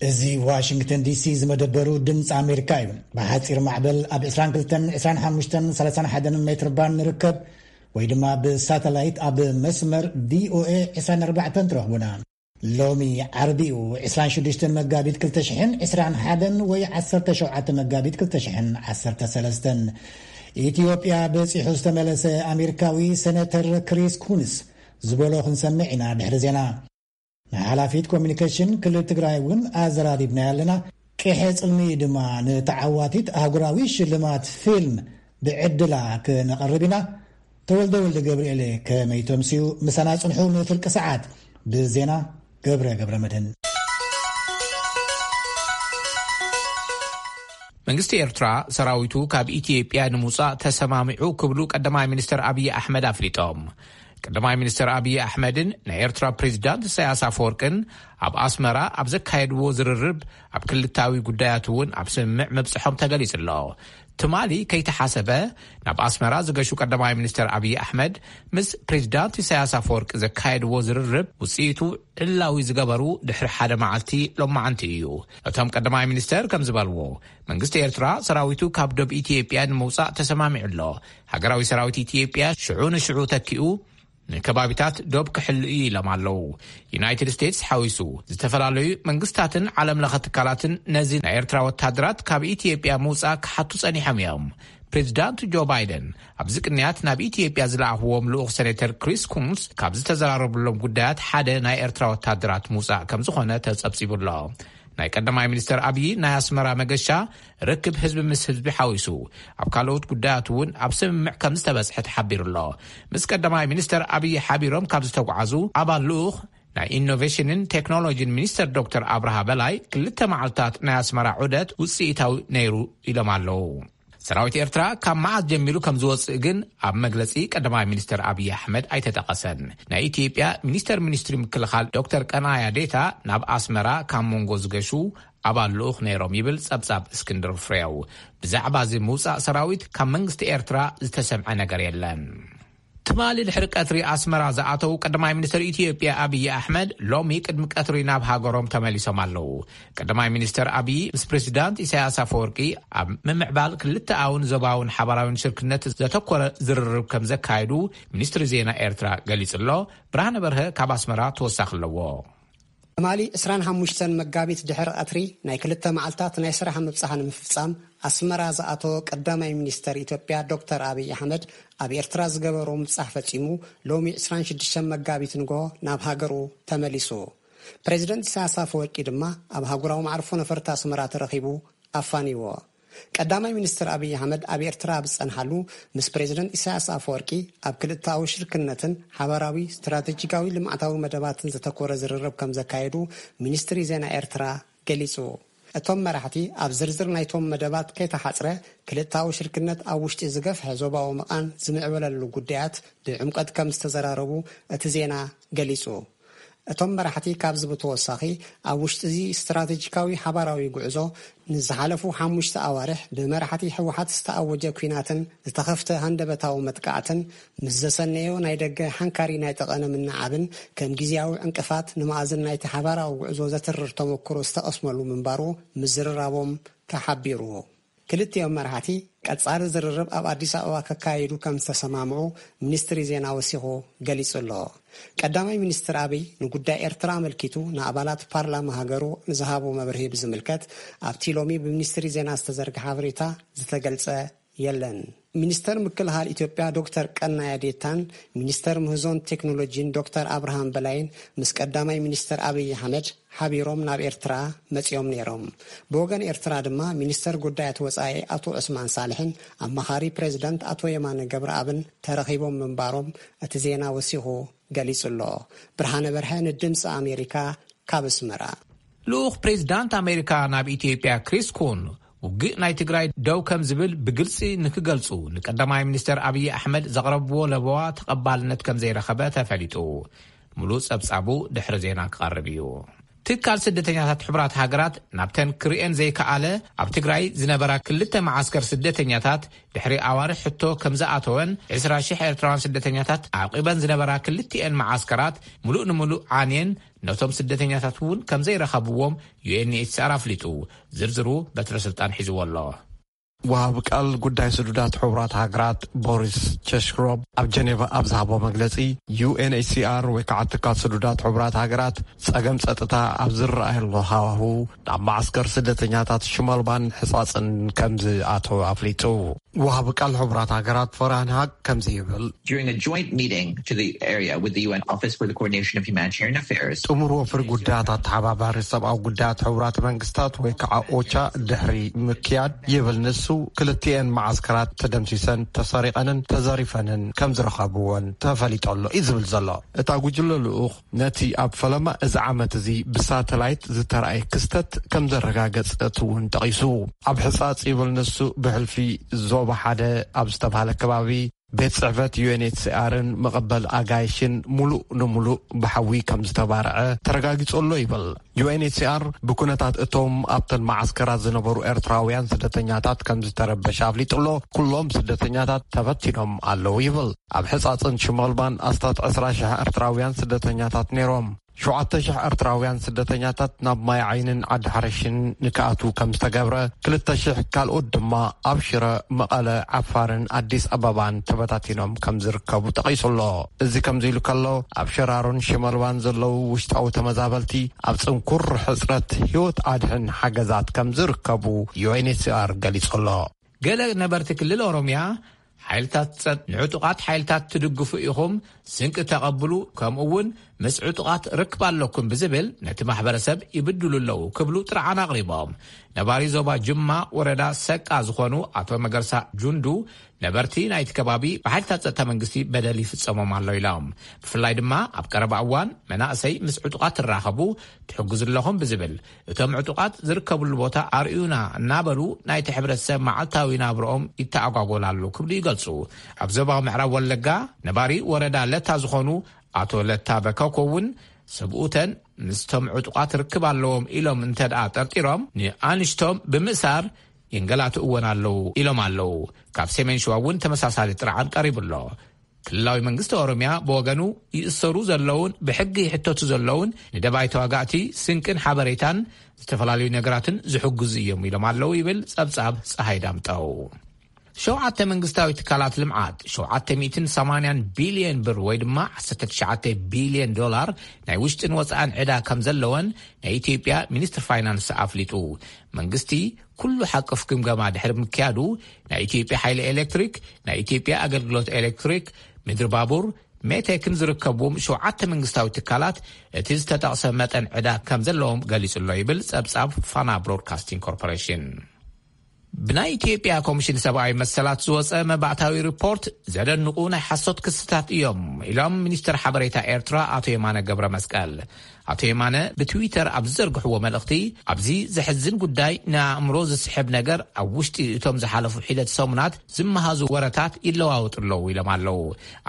እዚ ዋሽንግተን ዲሲ ዝመደበሩ ድምፂ ኣሜሪካ እዩ። ብሓፂር ማዕበል ኣብ ዕስራን ክልተን፣ ዕስራን ሓሙሽተን፣ ሰላሳን ሓደን ሜትር ባንድ ንርከብ፣ ወይ ድማ ብሳተላይት ኣብ መስመር ቪኦኤ ዕስራን ኣርባዕተን ትረኽቡና። ሎሚ ዓርቢ እዩ፣ ዕስራን ሽዱሽተን መጋቢት ክልተ ሽሕን ዕስራን ሓደን ወይ ዓሰርተ ሸውዓተ መጋቢት ክልተ ሽሕን ዓሰርተ ሰለስተን። ኢትዮጵያ በፂሑ ዝተመለሰ ኣሜሪካዊ ሴኔተር ክሪስ ኩንስ ዝበሎ ክንሰምዕ ኢና ድሕሪ ዜና። ንሓላፊት ኮሚኒኬሽን ክልል ትግራይ እውን ኣዘራሪብና ኣለና። ቅሐ ጽልሚ ድማ ንተዓዋቲት ኣህጉራዊ ሽልማት ፊልም ብዕድላ ክነቐርብ ኢና። ተወልደ ወልደ ገብርኤል ከመይ ተምስዩ? ምሳና ጽንሑ ንፍርቂ ሰዓት። ብዜና ገብረ ገብረ መድህን። መንግስቲ ኤርትራ ሰራዊቱ ካብ ኢትዮጵያ ንምውጻእ ተሰማሚዑ ክብሉ ቀዳማይ ሚኒስትር ኣብይ ኣሕመድ ኣፍሊጦም። ቀዳማይ ሚኒስትር ኣብይ ኣሕመድን ናይ ኤርትራ ፕሬዚዳንት ኢሳያስ ኣፈወርቅን ኣብ ኣስመራ ኣብ ዘካየድዎ ዝርርብ ኣብ ክልታዊ ጉዳያት እውን ኣብ ስምምዕ ምብጽሖም ተገሊጹ ኣሎ። ትማሊ ከይተሓሰበ ናብ ኣስመራ ዝገሹ ቀዳማይ ሚኒስትር ኣብይ ኣሕመድ ምስ ፕሬዚዳንት ኢሳያስ ኣፈወርቂ ዘካየድዎ ዝርርብ ውጽኢቱ ዕላዊ ዝገበሩ ድሕሪ ሓደ መዓልቲ ሎማዓንቲ እዩ። እቶም ቀዳማይ ሚኒስትር ከም ዝበልዎ መንግስቲ ኤርትራ ሰራዊቱ ካብ ዶብ ኢትዮጵያ ንምውጻእ ተሰማሚዑ ኣሎ። ሃገራዊ ሰራዊት ኢትዮጵያ ሽዑ ንሽዑ ተኪኡ ንከባቢታት ዶብ ክሕሉ እዩ ኢሎም ኣለዉ። ዩናይትድ ስቴትስ ሓዊሱ ዝተፈላለዩ መንግስታትን ዓለም ለኸ ትካላትን ነዚ ናይ ኤርትራ ወታደራት ካብ ኢትዮጵያ ምውጻእ ክሓቱ ጸኒሖም እዮም። ፕሬዚዳንት ጆ ባይደን ኣብዚ ቅንያት ናብ ኢትዮጵያ ዝለኣኽዎም ልኡኽ ሴኔተር ክሪስ ኩንስ ካብ ዝተዘራረብሎም ጉዳያት ሓደ ናይ ኤርትራ ወታደራት ምውጻእ ከም ዝኾነ ተጸብጺቡ ኣሎ። ናይ ቀዳማይ ሚኒስትር ኣብይ ናይ ኣስመራ መገሻ ርክብ ህዝቢ ምስ ህዝቢ ሓዊሱ ኣብ ካልኦት ጉዳያት እውን ኣብ ስምምዕ ከም ዝተበጽሐ ተሓቢሩ ኣሎ። ምስ ቀዳማይ ሚኒስትር ኣብይ ሓቢሮም ካብ ዝተጓዓዙ ኣባል ልኡኽ ናይ ኢኖቬሽንን ቴክኖሎጂን ሚኒስትር ዶክተር ኣብርሃ በላይ ክልተ መዓልታት ናይ ኣስመራ ዑደት ውጽኢታዊ ነይሩ ኢሎም ኣለዉ። ሰራዊት ኤርትራ ካብ መዓስ ጀሚሩ ከም ዝወጽእ ግን ኣብ መግለጺ ቀዳማይ ሚኒስትር ኣብይ ኣሕመድ ኣይተጠቐሰን። ናይ ኢትዮጵያ ሚኒስተር ሚኒስትሪ ምክልኻል ዶክተር ቀናያ ዴታ ናብ ኣስመራ ካብ መንጎ ዝገሹ ኣባል ልኡኽ ነይሮም ይብል ጸብጻብ እስክንድር ፍሬው። ብዛዕባ እዚ ምውጻእ ሰራዊት ካብ መንግስቲ ኤርትራ ዝተሰምዐ ነገር የለን። ትማሊ ድሕሪ ቀትሪ ኣስመራ ዝኣተው ቀዳማይ ሚኒስትር ኢትዮጵያ ኣብይ ኣሕመድ ሎሚ ቅድሚ ቀትሪ ናብ ሃገሮም ተመሊሶም ኣለዉ። ቀዳማይ ሚኒስትር ኣብይ ምስ ፕሬዚዳንት ኢሳያስ ኣፈወርቂ ኣብ ምምዕባል ክልተኣውን ዞባውን ሓባራውን ሽርክነት ዘተኮረ ዝርርብ ከም ዘካየዱ ሚኒስትሪ ዜና ኤርትራ ገሊጹ ኣሎ። ብርሃነ በርሀ ካብ ኣስመራ ተወሳኺ ኣለዎ። ትማሊ ዕስራን ሓሙሽተን መጋቢት ድሕሪ ቀትሪ ናይ ክልተ መዓልታት ናይ ስራሕ ምብጻሕ ንምፍጻም ኣስመራ ዝኣተወ ቀዳማይ ሚኒስተር ኢትዮጵያ ዶክተር ኣብይ ኣሕመድ ኣብ ኤርትራ ዝገበሮ ምብጻሕ ፈጺሙ ሎሚ ዕስራን ሽዱሽተን መጋቢት ንግሆ ናብ ሃገሩ ተመሊሱ። ፕሬዚደንት ኢሳያስ ኣፈወርቂ ድማ ኣብ ሃገራዊ መዓርፎ ነፈርቲ ኣስመራ ተረኺቡ ኣፋንይዎ። ቀዳማይ ሚኒስትር ኣብይ ኣሕመድ ኣብ ኤርትራ ኣብ ዝጸንሓሉ ምስ ፕሬዚደንት ኢሳያስ ኣፈወርቂ ኣብ ክልተኣዊ ሽርክነትን ሓባራዊ ስትራቴጂካዊ ልምዓታዊ መደባትን ዘተኮረ ዝርርብ ከም ዘካየዱ ሚኒስትሪ ዜና ኤርትራ ገሊጹ። እቶም መራሕቲ ኣብ ዝርዝር ናይቶም መደባት ከይተሓጽረ ክልተኣዊ ሽርክነት ኣብ ውሽጢ ዝገፍሐ ዞባዊ መቓን ዝምዕበለሉ ጉዳያት ብዕምቀት ከም ዝተዘራረቡ እቲ ዜና ገሊጹ። እቶም መራሕቲ ካብዚ ብተወሳኺ ኣብ ውሽጢ እዚ ስትራቴጂካዊ ሓባራዊ ጉዕዞ ንዝሓለፉ ሓሙሽተ ኣዋርሕ ብመራሕቲ ህወሓት ዝተኣወጀ ኲናትን ዝተኸፍተ ሃንደበታዊ መጥቃዕትን ምስ ዘሰነዮ ናይ ደገ ሓንካሪ ናይ ጠቐነ ምንዓብን ከም ግዜያዊ ዕንቅፋት ንመኣዝን ናይቲ ሓባራዊ ጉዕዞ ዘትርር ተመክሮ ዝተቐስመሉ ምንባሩ ምዝርራቦም ተሓቢሩ። ክልቲኦም መራሕቲ ቀጻሊ ዝርርብ ኣብ ኣዲስ ኣበባ ከካይዱ ከም ዝተሰማምዑ ሚኒስትሪ ዜና ወሲኹ ገሊጹ ኣሎ። ቀዳማይ ሚኒስትር ኣብይ ንጉዳይ ኤርትራ ኣመልኪቱ ንኣባላት ፓርላማ ሃገሩ ንዝሃቦ መብርሂ ብዝምልከት ኣብቲ ሎሚ ብሚኒስትሪ ዜና ዝተዘርግሐ ሓበሬታ ዝተገልጸ የለን። ሚኒስተር ምክልኻል ኢትዮጵያ ዶክተር ቀናያ ዴታን ሚኒስተር ምህዞን ቴክኖሎጂን ዶክተር ኣብርሃም በላይን ምስ ቀዳማይ ሚኒስተር ኣብይ ኣሕመድ ሓቢሮም ናብ ኤርትራ መጺኦም ነይሮም። ብወገን ኤርትራ ድማ ሚኒስተር ጉዳያት ወጻኢ ኣቶ ዑስማን ሳልሕን ኣማኻሪ ፕሬዚዳንት ኣቶ የማነ ገብረኣብን ተረኺቦም ምንባሮም እቲ ዜና ወሲኹ ገሊጹ ኣሎ። ብርሃነ በርሀ ንድምፂ ኣሜሪካ ካብ ኣስመራ። ልኡኽ ፕሬዚዳንት ኣሜሪካ ናብ ኢትዮጵያ ክሪስ ኩን ውግእ ናይ ትግራይ ደው ከም ዝብል ብግልፂ ንክገልፁ ንቀዳማይ ሚኒስተር ኣብይ ኣሕመድ ዘቕረብዎ ለበዋ ተቐባልነት ከም ዘይረኸበ ተፈሊጡ። ሙሉእ ጸብጻቡ ድሕሪ ዜና ክቐርብ እዩ። ትካል ስደተኛታት ሕቡራት ሃገራት ናብተን ክርእየን ዘይከኣለ ኣብ ትግራይ ዝነበራ ክልተ መዓስከር ስደተኛታት ድሕሪ ኣዋርሕ ሕቶ ከም ዝኣተወን፣ ዕስራ ሽሕ ኤርትራውያን ስደተኛታት ዓቂበን ዝነበራ ክልቲኤን መዓስከራት ምሉእ ንምሉእ ዓንየን፣ ነቶም ስደተኛታት እውን ከም ዘይረኸብዎም ዩ ኤን ኤች ሲ ኣር ኣፍሊጡ። ዝርዝሩ በትረ ስልጣን ሒዝዎ ኣሎ። ወሃቢ ቃል ጉዳይ ስዱዳት ሕቡራት ሃገራት ቦሪስ ቸሽክሮብ ኣብ ጀኔቫ ኣብ ዝሃቦ መግለጺ፣ ዩ ኤን ኤች ሲ ኣር ወይ ከዓ ትካል ስዱዳት ሕቡራት ሃገራት ጸገም ጸጥታ ኣብ ዝረኣየሉ ሃዋሁ ናብ ማዕስከር ስደተኛታት ሽመልባን ሕጻጽን ከም ዝኣተወ ኣፍሊጡ። ወሃቢ ቃል ሕቡራት ሃገራት ፈራን ሃቅ ከምዚ ይብል። During a joint meeting to the area with the U N Office for the Coordination of Humanitarian Affairs, ጥሙር ወፍሪ ጉዳያት ኣተሓባባሪ ሰብኣዊ ጉዳያት ሕቡራት መንግስታት ወይ ከዓ ኦቻ ድሕሪ ምክያድ ይብል ንሱ፣ ክልቲኤን መዓስከራት ተደምሲሰን፣ ተሰሪቐንን ተዘሪፈንን ከም ዝረኸብዎን ተፈሊጦ ኣሎ እዩ ዝብል ዘሎ። እታ ጉጅለ ልኡኽ ነቲ ኣብ ፈለማ እዚ ዓመት እዚ ብሳተላይት ዝተራእየ ክስተት ከም ዘረጋገጸት እውን ጠቒሱ። ኣብ ሕጻጽ ይብል ንሱ፣ ብሕልፊ ዞባ ሓደ ኣብ ዝተባህለ ከባቢ ቤት ጽሕፈት ዩ ኤን ኤች ሲ ኣርን መቐበል ኣጋይሽን ሙሉእ ንሙሉእ ብሓዊ ከም ዝተባርዐ ተረጋጊጹ ኣሎ ይብል። ዩ ኤን ኤች ሲ ኣር ብኩነታት እቶም ኣብተን መዓስከራት ዝነበሩ ኤርትራውያን ስደተኛታት ከም ዝተረበሸ ኣፍሊጡ ኣሎ። ኩሎም ስደተኛታት ተበቲኖም ኣለዉ ይብል። ኣብ ሕጻጽን ሽመልባን ኣስታት ዕስራ ሽሕ ኤርትራውያን ስደተኛታት ነይሮም። ሸውዓተ ሽሕ ኤርትራውያን ስደተኛታት ናብ ማይ ዓይንን ዓዲ ሓረሽን ንክኣትዉ ከም ዝተገብረ፣ ክልተ ሽሕ ካልኦት ድማ ኣብ ሽረ፣ መቐለ፣ ዓፋርን ኣዲስ ኣበባን ተበታቲኖም ከም ዝርከቡ ጠቒሱ ኣሎ። እዚ ከምዚ ኢሉ ከሎ፣ ኣብ ሸራሮን ሽመልባን ዘለዉ ውሽጣዊ ተመዛበልቲ ኣብ ጽንኩር ሕጽረት ህይወት ኣድሕን ሓገዛት ከም ዝርከቡ ዩ ኤን ኤች ሲ ኣር ገሊጹ ኣሎ። ገለ ነበርቲ ክልል ኦሮምያ፣ ሓይልታት ጸጥ ንዕጡቓት ሓይልታት ትድግፉ ኢኹም፣ ስንቂ ተቐብሉ፣ ከምኡ እውን ምስ ዕጡቓት ርክብ ኣለኩም ብዝብል ነቲ ማሕበረሰብ ይብድሉ ኣለዉ ክብሉ ጥርዓን ኣቕሪቦም። ነባሪ ዞባ ጅማ ወረዳ ሰቃ ዝኾኑ ኣቶ መገርሳ ጁንዱ፣ ነበርቲ ናይቲ ከባቢ ብሓይልታት ጸጥታ መንግስቲ በደል ይፍጸሞም ኣሎ ኢሎም። ብፍላይ ድማ ኣብ ቀረባ እዋን መናእሰይ ምስ ዕጡቓት ትራኸቡ ትሕግዙ ኣለኹም ብዝብል፣ እቶም ዕጡቓት ዝርከብሉ ቦታ ኣርእዩና እናበሉ ናይቲ ሕብረተሰብ መዓልታዊ ናብርኦም ይተኣጓጎል ኣሎ ክብሉ ይገልጹ። ኣብ ዞባ ምዕራብ ወለጋ ነባሪ ወረዳ ለታ ዝኾኑ ኣቶ ለታ በከኮ እውን፣ ሰብኡተን ምስቶም ዕጡቓት ርክብ ኣለዎም ኢሎም እንተ ደኣ ጠርጢሮም፣ ንኣንሽቶም ብምእሳር የንገላትእወን ኣለዉ ኢሎም ኣለዉ። ካብ ሰሜን ሸዋ እውን ተመሳሳሊ ጥርዓን ቀሪቡ ኣሎ። ክልላዊ መንግስቲ ኦሮምያ ብወገኑ፣ ይእሰሩ ዘለውን ብሕጊ ይሕተቱ ዘለውን ንደባይ ተዋጋእቲ ስንቅን ሓበሬታን ዝተፈላለዩ ነገራትን ዝሕግዙ እዮም ኢሎም ኣለዉ ይብል ጸብጻብ ጸሃይ ዳምጠው። ሸውዓተ መንግስታዊ ትካላት ልምዓት ሸውዓተ ሚእትን ሰማንያን ቢልዮን ብር ወይ ድማ ዓሰርተ ትሽዓተ ቢልዮን ዶላር ናይ ውሽጥን ወጻእን ዕዳ ከም ዘለወን ናይ ኢትዮጵያ ሚኒስትር ፋይናንስ ኣፍሊጡ። መንግስቲ ኩሉ ሓቆፍ ግምገማ ድሕሪ ምክያዱ፣ ናይ ኢትዮጵያ ሓይሊ ኤሌክትሪክ፣ ናይ ኢትዮጵያ ኣገልግሎት ኤሌክትሪክ፣ ምድሪ ባቡር፣ ሜቴክን ዝርከብዎም ሸውዓተ መንግስታዊ ትካላት እቲ ዝተጠቕሰ መጠን ዕዳ ከም ዘለዎም ገሊጹ ኣሎ ይብል ጸብጻብ ፋና ብሮድካስቲንግ ኮርፖሬሽን። ብናይ ኢትዮጵያ ኮሚሽን ሰብኣዊ መሰላት ዝወጸ መባእታዊ ሪፖርት ዘደንቑ ናይ ሓሶት ክስታት እዮም ኢሎም ሚኒስትር ሓበሬታ ኤርትራ ኣቶ የማነ ገብረ መስቀል። ኣቶ የማነ ብትዊተር ኣብ ዝዘርግሕዎ መልእኽቲ፣ ኣብዚ ዘሕዝን ጉዳይ ንኣእምሮ ዝስሕብ ነገር፣ ኣብ ውሽጢ እቶም ዝሓለፉ ሒደት ሰሙናት ዝመሃዙ ወረታት ይለዋወጡ ኣለዉ ኢሎም ኣለዉ።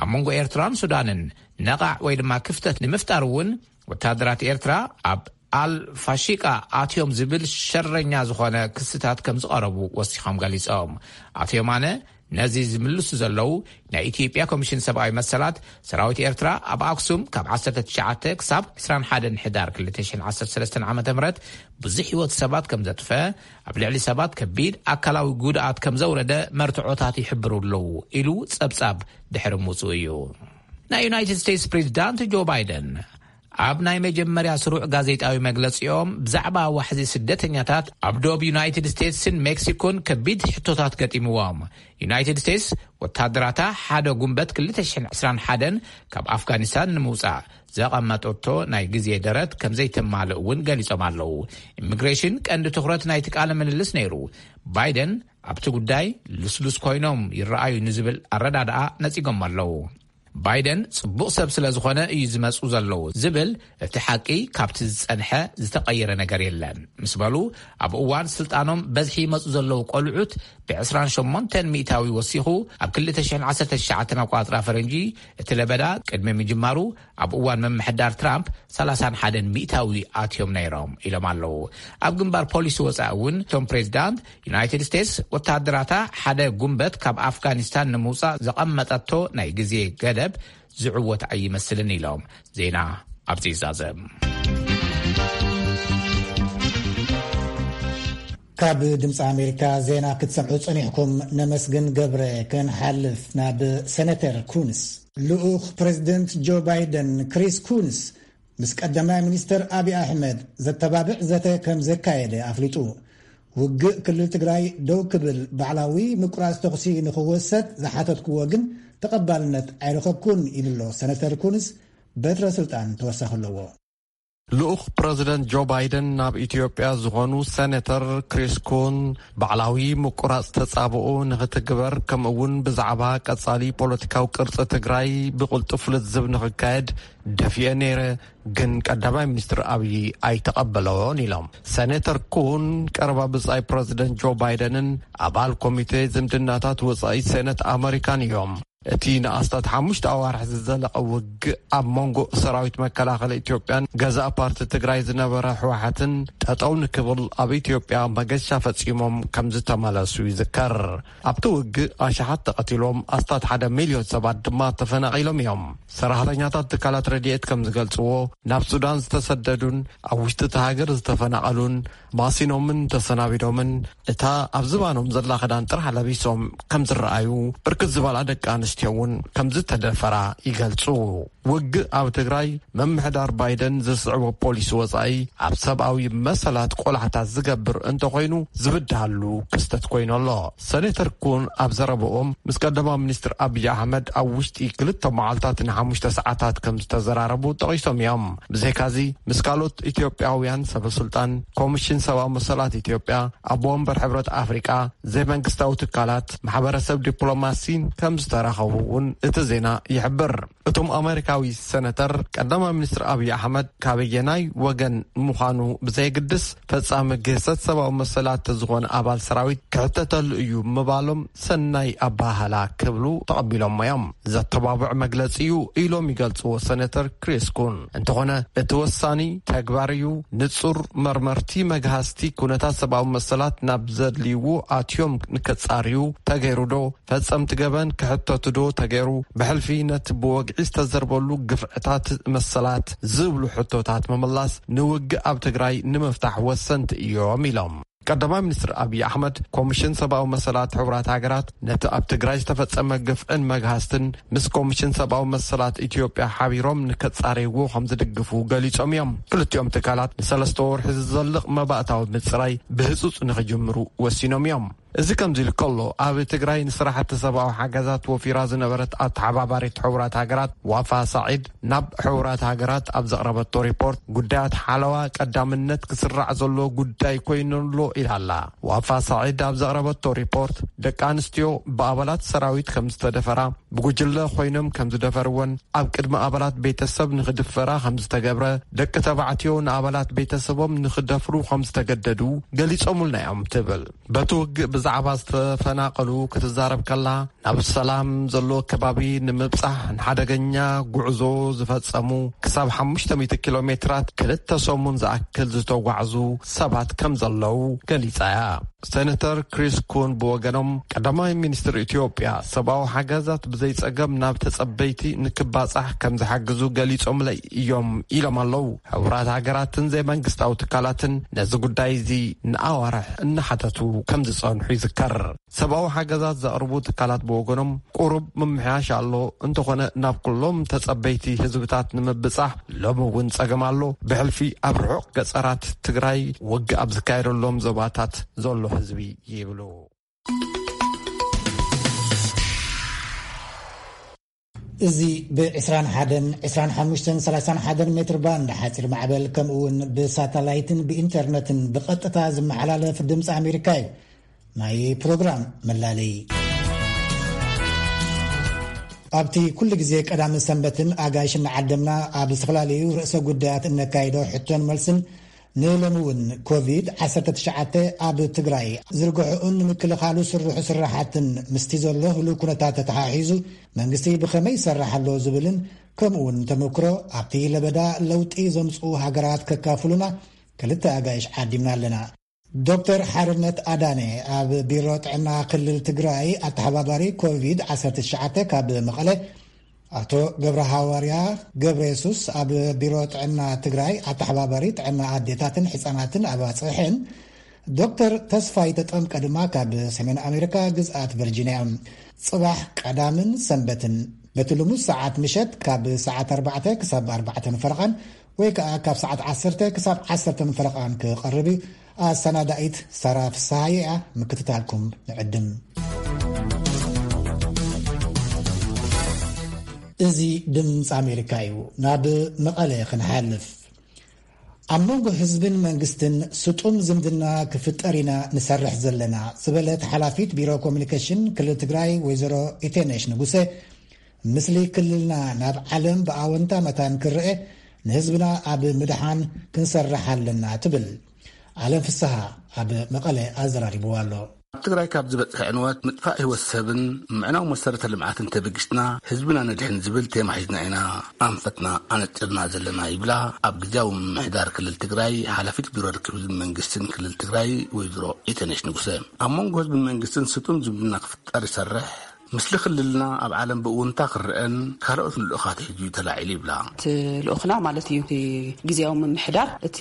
ኣብ መንጎ ኤርትራን ሱዳንን ነቓዕ ወይ ድማ ክፍተት ንምፍጣር እውን ወታደራት ኤርትራ ኣብ ኣል ፋሺቃ ኣትዮም ዝብል ሸረኛ ዝኾነ ክስታት ከም ዝቐረቡ ወሲኾም ገሊጾም። ኣቶ የማነ ነዚ ዝምልሱ ዘለዉ ናይ ኢትዮጵያ ኮሚሽን ሰብኣዊ መሰላት፣ ሰራዊት ኤርትራ ኣብ ኣክሱም ካብ ዓሰርተ ትሽዓተ ክሳብ ዕስራን ሓደን ሕዳር ክልተ ሽሕን ዓሰርተ ሰለስተን ዓመተ ምህረት ብዙሕ ህይወት ሰባት ከም ዘጥፈ፣ ኣብ ልዕሊ ሰባት ከቢድ ኣካላዊ ጉድኣት ከም ዘውረደ መርትዖታት ይሕብሩ ኣለዉ ኢሉ ጸብጻብ ድሕሪ ምውጽኡ እዩ። ናይ ዩናይትድ ስቴትስ ፕሬዚዳንት ጆ ባይደን ኣብ ናይ መጀመርያ ስሩዕ ጋዜጣዊ መግለጺኦም ብዛዕባ ዋሕዚ ስደተኛታት ኣብ ዶብ ዩናይትድ ስቴትስን ሜክሲኮን ከቢድ ሕቶታት ገጢምዎም። ዩናይትድ ስቴትስ ወታደራታ ሓደ ጉንበት ክልተ ሽሕን ዕስራን ሓደን ካብ ኣፍጋኒስታን ንምውጻእ ዘቐመጠቶ ናይ ግዜ ደረት ከም ዘይተማልእ እውን ገሊጾም ኣለዉ። ኢሚግሬሽን ቀንዲ ትኹረት ናይቲ ቃለ ምልልስ ነይሩ። ባይደን ኣብቲ ጉዳይ ልስሉስ ኮይኖም ይረኣዩ ንዝብል ኣረዳድኣ ነጺጎም ኣለዉ። ባይደን ጽቡቕ ሰብ ስለ ዝኾነ እዩ ዝመጹ ዘለዉ ዝብል እቲ ሓቂ ካብቲ ዝጸንሐ ዝተቐየረ ነገር የለን ምስ በሉ፣ ኣብ እዋን ስልጣኖም በዝሒ ይመጹ ዘለዉ ቆልዑት ብ28% ወሲኹ፣ ኣብ ክልተ ሽሕን ዓሰርተ ትሽዓተን ኣቋጽራ ፈረንጂ እቲ ለበዳ ቅድሚ ምጅማሩ ኣብ እዋን ምምሕዳር ትራምፕ ሰላሳን ሓደን ሚእታዊ ኣትዮም ነይሮም ኢሎም ኣለዉ። ኣብ ግንባር ፖሊሲ ወጻኢ እውን እቶም ፕሬዚዳንት፣ ዩናይትድ ስቴትስ ወተሃደራታ ሓደ ጉንበት ካብ ኣፍጋኒስታን ንምውጻእ ዘቐመጠቶ ናይ ግዜ ገደብ ዝዕወት ኣይመስልን ኢሎም። ዜና ኣብዚ ይዛዘም። ካብ ድምፂ ኣሜሪካ ዜና ክትሰምዑ ጸኒሕኩም። ነመስግን ገብረ። ክንሓልፍ ናብ ሴኔተር ኩንስ። ልኡኽ ፕሬዚደንት ጆ ባይደን ክሪስ ኩንስ ምስ ቀዳማይ ሚኒስተር ኣብይ ኣሕመድ ዘተባብዕ ዘተ ከም ዘካየደ ኣፍሊጡ። ውግእ ክልል ትግራይ ደው ክብል ባዕላዊ ምቁራጽ ተኹሲ ንኽወሰድ ዝሓተትክዎ ግን ተቐባልነት ኣይረኸብኩን ኢሉ ኣሎ። ሴኔተር ኩንስ በትረ ስልጣን ተወሳኺ ኣለዎ። ልኡኽ ፕረዚደንት ጆ ባይደን ናብ ኢትዮጵያ ዝኾኑ ሴኔተር ክሪስ ኩን ባዕላዊ ምቁራጽ ተጻብኦ ንኽትግበር፣ ከምኡ እውን ብዛዕባ ቀጻሊ ፖለቲካዊ ቅርጺ ትግራይ ብቕልጡፍ ልዝብ ንኽካየድ ደፊኤ ነይረ፣ ግን ቀዳማይ ሚኒስትር ኣብዪ ኣይተቐበሎን ኢሎም። ሴኔተር ኩን ቀረባ ብጻይ ፕረዚደንት ጆ ባይደንን ኣባል ኮሚቴ ዝምድናታት ወጻኢ ሴነት ኣመሪካን እዮም። እቲ ንኣስታት ሓሙሽተ ኣዋርሕ ዝዘለቐ ውግእ ኣብ መንጎ ሰራዊት መከላኸሊ ኢትዮጵያን ገዛእ ፓርቲ ትግራይ ዝነበረ ህወሓትን ጠጠው ንክብል ኣብ ኢትዮጵያ መገሻ ፈጺሞም ከም ዝተመለሱ ይዝከር። ኣብቲ ውግእ ኣሽሓት ተቐቲሎም፣ ኣስታት ሓደ ሚልዮን ሰባት ድማ ተፈናቒሎም እዮም። ሰራሕተኛታት ትካላት ረድኤት ከም ዝገልጽዎ፣ ናብ ሱዳን ዝተሰደዱን ኣብ ውሽጢ እቲ ሃገር ዝተፈናቐሉን ማሲኖምን ተሰናቢዶምን፣ እታ ኣብ ዝባኖም ዘላ ክዳን ጥራሕ ለቢሶም ከም ዝረኣዩ፣ ብርክት ዝበላ ደቂ ኣንስትዮ እውን ከም ዝተደፈራ ይገልጹ። ውግእ ኣብ ትግራይ፣ ምምሕዳር ባይደን ዝስዕቦ ፖሊሲ ወጻኢ ኣብ ሰብኣዊ መሰላት ቆላሕታ ዝገብር እንተኾይኑ ዝብድሃሉ ክስተት ኮይኑ ኣሎ። ሴኔተር ኩን ኣብ ዘረብኦም፣ ምስ ቀዳማይ ሚኒስትር ኣብይ ኣሕመድ ኣብ ውሽጢ ክልተ መዓልታት ንሓሙሽተ ሰዓታት ከም ዝተዘራረቡ ጠቒሶም እዮም። ብዘይካዚ፣ ምስ ካልኦት ኢትዮጵያውያን ሰበ ስልጣን፣ ኮሚሽን ሰብኣዊ መሰላት ኢትዮጵያ፣ ኣቦ ወንበር ሕብረት ኣፍሪቃ፣ ዘይመንግስታዊ ትካላት፣ ማሕበረሰብ ዲፕሎማሲን ከም ዝተራኸቡ እውን እቲ ዜና ይሕብር። እቶም ኣመሪካዊ ሴነተር፣ ቀዳማይ ሚኒስትር ኣብይ ኣሕመድ ካበየናይ ወገን ምዃኑ ብዘየግድስ፣ ፈጻሚ ግህሰት ሰብኣዊ መሰላት ዝኾነ ኣባል ሰራዊት ክሕተተሉ እዩ ምባሎም ሰናይ ኣባህላ ክብሉ ተቐቢሎሞ እዮም። ዘተባብዕ መግለጺ እዩ ኢሎም ይገልጽዎ ሴነተር ክሪስ ኩን። እንተኾነ፣ እቲ ወሳኒ ተግባር እዩ። ንጹር መርመርቲ መግሃስቲ ኩነታት ሰብኣዊ መሰላት ናብ ዘድልይዎ ኣትዮም ንከጻርዩ ተገይሩ ዶ? ፈጸምቲ ገበን ክሕተቱ ዶ ተገይሩ? ብሕልፊ ነቲ ብወግዒ ዝተዘርበሉ ግፍዕታት መሰላት ዝብሉ ሕቶታት ምምላስ ንውግእ ኣብ ትግራይ ንምፍታሕ ወሰንቲ እዮም ኢሎም። ቀዳማይ ሚኒስትር ኣብይ ኣሕመድ፣ ኮሚሽን ሰብኣዊ መሰላት ሕቡራት ሃገራት ነቲ ኣብ ትግራይ ዝተፈጸመ ግፍዕን መግሃስትን ምስ ኮሚሽን ሰብኣዊ መሰላት ኢትዮጵያ ሓቢሮም ንከጻረይዎ ከም ዝድግፉ ገሊጾም እዮም። ክልቲኦም ትካላት ንሰለስተ ወርሒ ዝዘልቕ መባእታዊ ምጽራይ ብህጹጽ ንኽጅምሩ ወሲኖም እዮም። እዚ ከምዚ ኢሉ ከሎ፣ ኣብ ትግራይ ንስራሕቲ ሰብኣዊ ሓገዛት ወፊራ ዝነበረት ኣተሓባባሪት ሕቡራት ሃገራት ዋፋ ሳዒድ ናብ ሕቡራት ሃገራት ኣብ ዘቕረበቶ ሪፖርት፣ ጉዳያት ሓለዋ ቀዳምነት ክስራዕ ዘሎ ጉዳይ ኮይኑ ኣሎ ኢላ ኣላ። ዋፋ ሳዒድ ኣብ ዘቕረበቶ ሪፖርት፣ ደቂ ኣንስትዮ ብኣባላት ሰራዊት ከም ዝተደፈራ፣ ብጉጅለ ኮይኖም ከም ዝደፈርወን፣ ኣብ ቅድሚ ኣባላት ቤተሰብ ንኽድፈራ ከም ዝተገብረ፣ ደቂ ተባዕትዮ ንኣባላት ቤተሰቦም ንኽደፍሩ ከም ዝተገደዱ ገሊጾምልና እዮም ትብል። በቲ ውግእ ብዛዕባ ዝተፈናቐሉ ክትዛረብ ከላ፣ ናብ ሰላም ዘለዎ ከባቢ ንምብጻሕ ንሓደገኛ ጉዕዞ ዝፈጸሙ፣ ክሳብ ሓሙሽተ ሚእቲ ኪሎ ሜትራት ክልተ ሰሙን ዝኣክል ዝተጓዕዙ ሰባት ከም ዘለዉ ገሊጻ እያ። ሴነተር ክሪስ ኩን ብወገኖም፣ ቀዳማይ ሚኒስትር ኢትዮጵያ ሰብኣዊ ሓገዛት ብዘይጸገም ናብ ተጸበይቲ ንክባጻሕ ከም ዝሓግዙ ገሊጾምለይ እዮም ኢሎም ኣለዉ። ሕቡራት ሃገራትን ዘይመንግስታዊ ትካላትን ነዚ ጉዳይ እዚ ንኣዋርሕ እናሓተቱ ከም ዝጸንሑ ይዝከር። ሰብኣዊ ሓገዛት ዘቕርቡ ትካላት ብወገኖም፣ ቁሩብ ምምሕያሽ ኣሎ፣ እንተኾነ ናብ ኩሎም ተጸበይቲ ህዝብታት ንምብጻሕ ሎሚ እውን ጸገም ኣሎ። ብሕልፊ ኣብ ርሑቕ ገጸራት ትግራይ ውግእ ኣብ ዝካየደሎም ዞባታት ዘሎ ህዝቢ ይብሉ። እዚ ብ21፣ 25፣ 31 ሜትር ባንድ ሓፂር ማዕበል፣ ከምኡ እውን ብሳተላይትን ብኢንተርነትን ብቐጥታ ዝመሓላለፍ ድምፂ ኣሜሪካ እዩ። ናይ ፕሮግራም መላለይ። ኣብቲ ኩሉ ግዜ ቀዳምን ሰንበትን ኣጋይሽ እናዓደምና ኣብ ዝተፈላለዩ ርእሰ ጉዳያት እነካይዶ ሕቶን መልስን፣ ንሎሚ እውን ኮቪድ ዓሰርተ ትሽዓተ ኣብ ትግራይ ዝርግሕኡን ንምክልኻሉ ስርሑ ስራሓትን ምስቲ ዘሎ ህሉው ኩነታት ተተሓሒዙ መንግስቲ ብኸመይ ይሰርሕ ኣሎ ዝብልን፣ ከምኡ እውን ተመክሮ ኣብቲ ለበዳ ለውጢ ዘምፅኡ ሃገራት ከካፍሉና ክልተ ኣጋይሽ ዓዲምና ኣለና። ዶክተር ሓርነት ኣዳነ ኣብ ቢሮ ጥዕና ክልል ትግራይ ኣተሓባባሪ ኮቪድ ዓሰርተ ትሽዓተ ካብ መቐለ፣ ኣቶ ገብረ ሃዋርያ ገብረ የሱስ ኣብ ቢሮ ጥዕና ትግራይ ኣተሓባባሪ ጥዕና ኣዴታትን ሕፃናትን ኣባፅሕን፣ ዶክተር ተስፋይ ተጠምቀ ድማ ካብ ሰሜን ኣሜሪካ ግዝኣት ቨርጂንያ እዮም። ፅባሕ ቀዳምን ሰንበትን በቲ ልሙስ ሰዓት ምሸት ካብ ሰዓት ኣርባዕተ ክሳብ ኣርባዕተን ፈረቓን ወይ ከዓ ካብ ሰዓት ዓሰርተ ክሳብ ዓሰርተን ፈረቓን ክቐርብ እዩ። ኣሰናዳኢት ሳራ ፍስሃየ እያ። ምክትታልኩም ንዕድም። እዚ ድምፂ ኣሜሪካ እዩ። ናብ መቐለ ክንሓልፍ። ኣብ መንጎ ህዝብን መንግስትን ስጡም ዝምድና ክፍጠር ኢና ንሰርሕ ዘለና ዝበለት ሓላፊት ቢሮ ኮሚኒኬሽን ክልል ትግራይ ወይዘሮ ኢቴነሽ ንጉሰ፣ ምስሊ ክልልና ናብ ዓለም ብኣወንታ መታን ክረአ፣ ንህዝብና ኣብ ምድሓን ክንሰርሕ ኣለና ትብል። ኣለም ፍስሃ ኣብ መቐለ ኣዘራሪብዋ ኣሎ። ኣብ ትግራይ ካብ ዝበፅሐ ዕንወት፣ ምጥፋእ ህይወት ሰብን ምዕናው መሰረተ ልምዓትን ተበጊስና ህዝብና ነድሕን ዝብል ቴማ ሒዝና ኢና ኣንፈትና ኣነጢርና ዘለና ይብላ ኣብ ግዜያዊ ምምሕዳር ክልል ትግራይ ሓላፊት ቢሮ ርክብ ህዝብን መንግስትን ክልል ትግራይ ወይዘሮ ኢተነሽ ንጉሰ። ኣብ መንጎ ህዝብን መንግስትን ስጡም ዝምድና ክፍጠር ይሰርሕ፣ ምስሊ ክልልና ኣብ ዓለም ብእውንታ ክረአን ካልኦት ልኡኻት ሒዙ እዩ ተላዒሉ ይብላ። እቲ ልኡኽና ማለት እዩ፣ እቲ ግዜያዊ ምምሕዳር፣ እቲ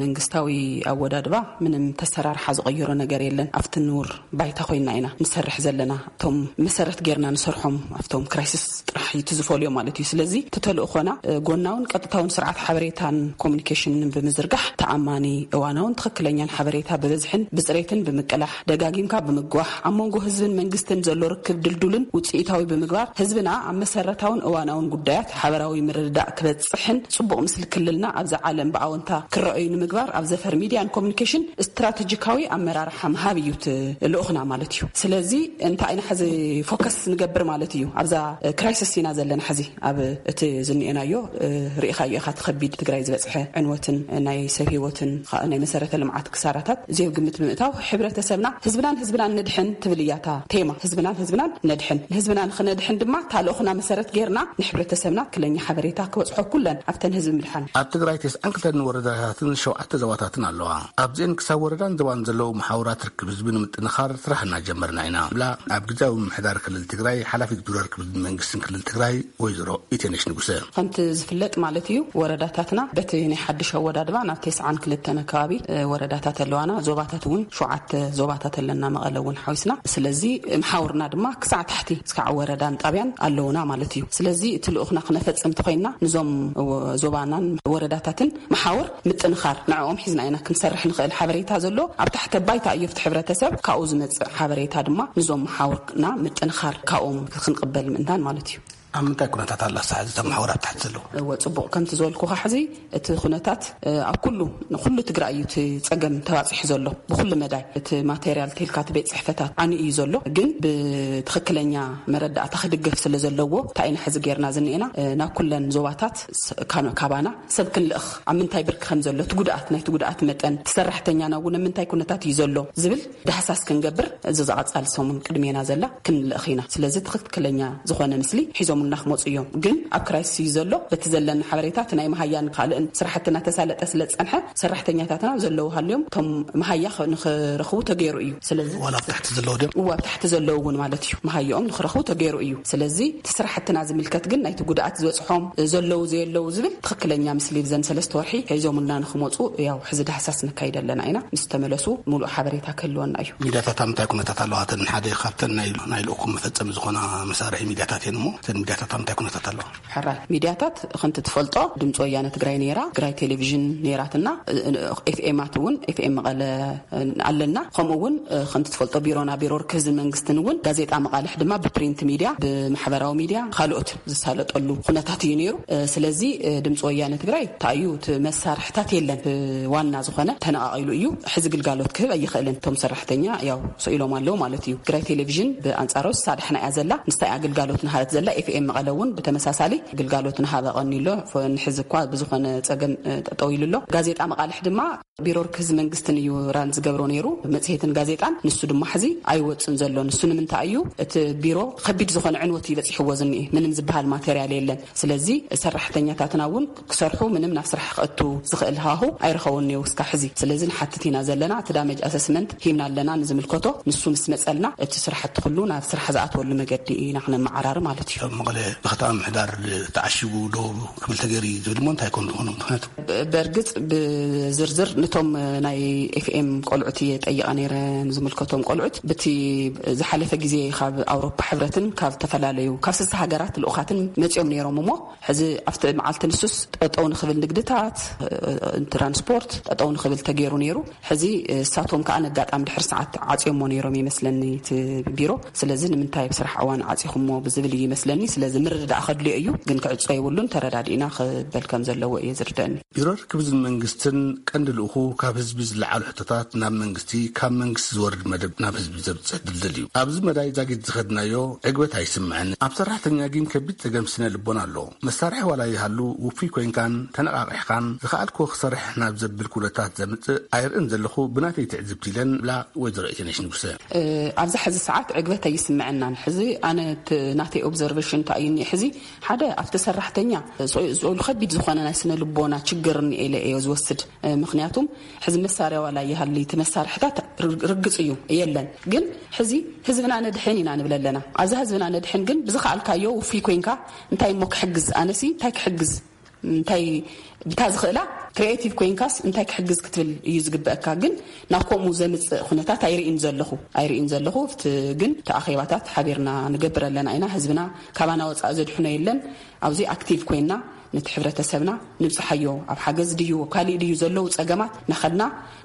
መንግስታዊ ኣወዳድባ ምንም ተሰራርሓ ዝቐየሮ ነገር የለን። ኣብቲ ንቡር ባይታ ኮይና ኢና ንሰርሕ ዘለና። እቶም መሰረት ጌርና ንሰርሖም ኣብቶም ክራይሲስ ጥራሕ እዩ እቲ ዝፈልዮ ማለት እዩ። ስለዚ እቲ ተልእኾና፣ እ፣ ጎናውን ቀጥታውን ስርዓት ሓበሬታን ኮሚኒኬሽንን ብምዝርጋሕ ተኣማኒ፣ እዋናውን ትኽክለኛን ሓበሬታ ብብዝሕን ብፅሬትን ብምቅላሕ፣ ደጋጊምካ ብምግዋሕ፣ ኣብ መንጎ ህዝብን መንግስትን ዘሎ ርክብ ድልዱልን ውፅኢታዊ ብምግባር፣ ህዝብና ኣብ መሰረታውን እዋናውን ጉዳያት ሓበራዊ ምርድዳእ ክበፅሕን ፅቡቕ ምስሊ ክልልና ኣብዚ ዓለም ብኣወንታ ክረኣዩ ንምግባር ኣብ ዘፈር ሚድያን ኮሚኒኬሽን ስትራቴጂካዊ ኣመራርሓ ምሃብ እዩ እቲ ልኡኽና ማለት እዩ። ስለዚ እንታይ ኢና ሕዚ ፎከስ ንገብር ማለት እዩ? ኣብዛ ክራይሲስ ኢና ዘለና ሕዚ ኣብ እቲ ዝንኤናዮ፣ እ፣ ርኢኻዮ ኢኻ፣ እቲ ከቢድ ትግራይ ዝበፅሐ ዕንወትን ናይ ሰብ ህይወትን፣ ኸ-፣ ናይ መሰረተ ልምዓት ክሳራታት እዚኦ ግምት ብምእታው፣ ሕብረተሰብና፣ ህዝብናን ህዝብናን ነድሕን ትብል እያ እታ ቴማ። ህዝብናን ህዝብናን ነድሕን። ንህዝብና ንኽነድሕን ድማ፣ እታ ልኡኽና መሰረት ጌርና፣ ንሕብረተሰብና ትኽክለኛ ሓበሬታ ክበፅሖ፣ ኩለን ኣብተን ህዝቢ ምድሓን። ኣብ ትግራይ ተስዓን ክልተን ወረዳታትን ሸውዓተ ዞባታትን ኣለዋ። ኣብዚአን ክሳብ ወረዳን ዞባን ዘለዉ መሓውራት ርክብ ህዝቢ ንምጥንኻር ስራሕ እናጀመርና ኢና ብላ ኣብ ግዜያዊ ምምሕዳር ክልል ትግራይ ሓላፊት ቢሮ ርክብ ህዝቢ መንግስትን ክልል ትግራይ ወይዘሮ ኢቴነሽ ንጉሰ። ከምቲ ዝፍለጥ ማለት እዩ፣ ወረዳታትና በቲ ናይ ሓድሽ ኣወዳድባ ናብ ተስዓን ክልተን ኣከባቢ፣ እ፣ ወረዳታት ኣለዋና። ዞባታት እውን ሸውዓተ ዞባታት ኣለና፣ መቐለ እውን ሓዊስና። ስለዚ መሓውርና ድማ ክሳዕ ታሕቲ፣ እስካዕ ወረዳን ጣብያን ኣለውና ማለት እዩ። ስለዚ እቲ ልኡኽና ክነፈጽም እንተኾይንና፣ ንዞም ወ-፣ ዞባናን ወረዳታትን መሓውር ምጥንኻር፣ ንዕኦም ሒዝና ኢና ክንሰርሕ ንኽእል። ሓበሬታ ዘሎ ኣብ ታሕተ ባይታ እዩ፣ ኣብቲ ሕብረተሰብ ካብኡ ዝመጽእ ሓበሬታ ድማ ንዞም መሓውርና ምጥንኻር ካብኦም ክንቅበል ምእንታን ማለት እዩ። ኣብ ምንታይ ኩነታት ኣላ ሳሕዚ እታ መሓውር ኣብ ታሕቲ ዘለዉ? እወ፣ ጽቡቕ። ከምቲ ዝበልኩኻ፣ ሕዚ እቲ ኩነታት፣ እ፣ ኣብ ኩሉ፣ ንኩሉ ትግራይ እዩ እቲ ጸገም ተባጺሑ ዘሎ። ብኩሉ መዳይ እቲ ማቴሪያል ተልካ እቲ ቤት ጽሕፈታት ዓንዩ እዩ ዘሎ። ግን ብትኽክለኛ መረዳእታ ክድገፍ ስለ ዘለዎ፣ እንታይ ኢና ሕዚ ጌርና ዝንኤና፣ እ፣ ናብ ኩለን ዞባታት ስ-፣ ካኖ-፣ ካባና ሰብ ክንልእኽ፣ ኣብ ምንታይ ብርኪ ከም ዘሎ፣ እቲ ጉድኣት፣ ናይቲ ጉድኣት መጠን፣ እቲ ሰራሕተኛና እውን ኣብ ምንታይ ኩነታት እዩ ዘሎ ዝብል ዳህሳስ ክንገብር፣ እዚ ዝቐጻሊ ሰሙን ቅድሜና ዘላ ክንልእኽ ኢና። ስለዚ ትኽክለኛ ዝኾነ ምስሊ ሒዞምልና ክመጹ እዮም። ግን ኣብ ክራይሲስ እዩ ዘሎ። በቲ ዘለና ሓበሬታ፣ እቲ ናይ መሃያን ካልእን ስራሕትና ተሳለጠ ስለ ዝጸንሐ፣ ሰራሕተኛታትና ዘለዉ ሃልዮም፣ እቶም መሃያ ኸ-፣ ንኽረኽቡ ተገይሩ እዩ። ስለዚ ዋላ ኣብ ታሕቲ ዘለዉ ድዮም? እዋ፣ ኣብ ታሕቲ ዘለዉ እውን ማለት እዩ፣ መሃያኦም ንኽረኽቡ ተገይሩ እዩ። ስለዚ እቲ ስራሕትና ዝምልከት ግን፣ ናይቲ ጉድኣት ዝበጽሖም ዘለዉ ዘየለዉ ዝብል ትኽክለኛ ምስሊ ብዘን ሰለስተ ወርሒ ሒዞምልና ንኽመጹ፣ ያው፣ ሕዚ ዳህሳስ ነካይድ ኣለና ኢና። ምስ ተመለሱ፣ ምሉእ ሓበሬታ ክህልወና እዩ። ሚድያታት ኣብ ምንታይ ኩነታት ኣለዋ? እተን ሓደ ካብተን ናይ፣ ናይ ልኡኹም መፈጸሚ ዝኾና መሳርሒ ሚድያታት እየን እሞ፣ እተን ሚድያታት ኣብ ምንታይ ኩነታት ኣለዋ? ሕራይ፣ ሚድያታት ከምቲ ትፈልጦ፣ ድምፂ ወያነ ትግራይ ነይራ፣ ትግራይ ቴሌቪዥን ነይራትና፣ እ-፣ እ-፣ ኤፍኤማት እውን፣ ኤፍኤም መቐለ፣ እ፣ ኣለና። ከምኡ እውን፣ እ፣ ከምቲ ትፈልጦ፣ ቢሮና፣ ቢሮ ርክብ ህዝብን መንግስትን እውን፣ ጋዜጣ መቓልሕ ድማ ብፕሪንት ሚድያ፣ ብማሕበራዊ ሚድያ፣ ካልኦት ዝሳለጠሉ ኩነታት እዩ ነይሩ። እ፣ ስለዚ፣ እ፣ ድምፂ ወያነ ትግራይ እንታይ እዩ፣ እቲ መሳርሕታት የለን። እ፣ ዋና ዝኾነ ተነቓቒሉ እዩ። ሕዚ ግልጋሎት ክህብ ኣይኽእልን። እቶም ሰራሕተኛ ያው ስኢሎም ኣለዉ ማለት እዩ። ትግራይ ቴሌቪዥን ብኣንጻሩ ሳዳሕና እያ ዘላ። ንሳ እያ ግልጋሎት ንሃበት ዘላ። ኤፍኤም መቐለ እውን ብተመሳሳሊ ግልጋሎት ንሃበ ቀኒ ኣሎ። ንሕዚ እኳ ብዝኾነ ጸገም ጠጠው ኢሉ ኣሎ። ጋዜጣ መቓልሕ ድማ ቢሮ ርክብ ህዝቢ መንግስትን እዩ ራን ዝገብሮ ነይሩ። መጽሔትን ጋዜጣን ንሱ ድማ ሕዚ ኣይወጽን ዘሎ። ንሱ ንምንታይ እዩ? እቲ ቢሮ ከቢድ ዝኾነ ዕንወት እዩ በጺሕዎ ዝኒኤ። ምንም ዝበሃል ማቴሪያል የለን። ስለዚ ሰራሕተኛታትና እውን ክሰርሑ፣ ምንም ናብ ስራሕ ክእቱ ዝኽእል ሃሁ ኣይረኸቡን እኒው እስካ ሕዚ። ስለዚ ንሓትት ኢና ዘለና። እቲ ዳሜጅ ኣሰስመንት ሂብና ኣለና ንዝምልከቶ። ንሱ ምስ መጸልና እቲ ስራሕቲ ኩሉ ናብ ስራሕ ዝኣትወሉ መገዲ ኢና ክነመዓራሪ ማለት እዩ። ኣብ መቐለ ብከተማ ምሕዳር ተዓሺጉ ዶ ክብል ተገይሩ እዩ ዝብል እሞ እንታይ ኮን ዝኾነ ምኽንያቱ? በርግጽ ብዝርዝር ነቶም ናይ ኤፍኤም ቆልዑት እየ ጠይቐ ነይረ፣ ንዝምልከቶም ቆልዑት። ብቲ ዝሓለፈ ግዜ ካብ ኣውሮፓ ሕብረትን ካብ ዝተፈላለዩ ካብ ስልሳ ሃገራት ልኡኻትን መጺኦም ነይሮም እሞ ሕዚ ኣብቲ መዓልቲ ንሱስ ጠጠው ንኽብል ንግድታት ትራንስፖርት ጠጠው ንኽብል ተገይሩ ነይሩ። ሕዚ እሳቶም ከኣ ነጋጣሚ ድሕሪ ሰዓት ዓጽዮሞ ነይሮም ይመስለኒ እቲ ቢሮ። ስለዚ ንምንታይ ብስራሕ እዋን ዓጺኹሞ ብዝብል እዩ ይመስለኒ። ስለዚ ምርድዳእ ከድልዮ እዩ፣ ግን ክዕጾ የብሉን፣ ተረዳዲእና ክበል ከም ዘለዎ እየ ዝርደኒ። ቢሮ ርክብ ህዝቢ መንግስትን ቀንዲ ልኡኹ ካብ ህዝቢ ዝለዓሉ ሕቶታት ናብ መንግስቲ፣ ካብ መንግስቲ ዝወርድ መደብ ናብ ህዝቢ ዘብጽሕ ድልድል እዩ። ኣብዚ መዳይ ዛጊት ዝኸድናዮ ዕግበት ኣይስምዐን። ኣብ ሰራሕተኛ ግን ከቢድ ጸገም ስነ ልቦና ኣሎ። መሳርሒ ዋላ ይሃሉ ውፉይ ኮይንካን ተነቓቒሕካን ዝኸኣልክዎ ክሰርሕ ናብ ዘብል ኩነታት ዘምጽእ ኣይርእን ዘለኹ ብናተይ ትዕዝብቲ ኢለን ብላ ወይዘሮ ኢተነሽ ንጉሰ። ኣብዚ ሕዚ ሰዓት ዕግበት ኣይስምዐናን። ሕዚ ኣነ እቲ ናተይ ኦብዘርቬሽን እንታይ እዩ እኒአ? ሕዚ ሓደ ኣብቲ ሰራሕተኛ ስቕ-፣ ስቕ-፣ ከቢድ ዝኾነ ናይ ስነ ልቦና ችግር እኒአ ኢለ እየ ዝወስድ። ምኽንያቱም ሕዚ መሳርያ ዋላ ይሃሊ እቲ መሳርሕታት ርግ-፣ ርግጽ እዩ የለን። ግን ሕዚ ህዝብና ነድሕን ኢና ንብል ኣለና። ኣብዛ ህዝብና ነድሕን ግን ብዝኸኣልካዮ ውፉይ ኮይንካ እንታይ እሞ ክሕግዝ፣ ኣነሲ እንታይ ክሕግዝ፣ እንታይ ብታ ዝኽእላ ክሪኤቲቭ ኮይንካስ እንታይ ክሕግዝ ክትብል እዩ ዝግበአካ። ግን ናብ ከምኡ ዘምጽእ ኩነታት ኣይርእን ዘለኹ፣ ኣይርእን ዘለኹ። ኣብቲ ግን እቲ ኣኼባታት ሓቢርና ንገብር ኣለና ኢና። ህዝብና ካባና ወጻኢ ዘድሕኖ የለን። ኣብዚ ኣክቲቭ ኮይንና ነቲ ሕብረተሰብና ንብጽሓዮ። ኣብ ሓገዝ ድዩ፣ ኣብ ካሊእ ድዩ ዘለዉ ጸገማት ናኸድና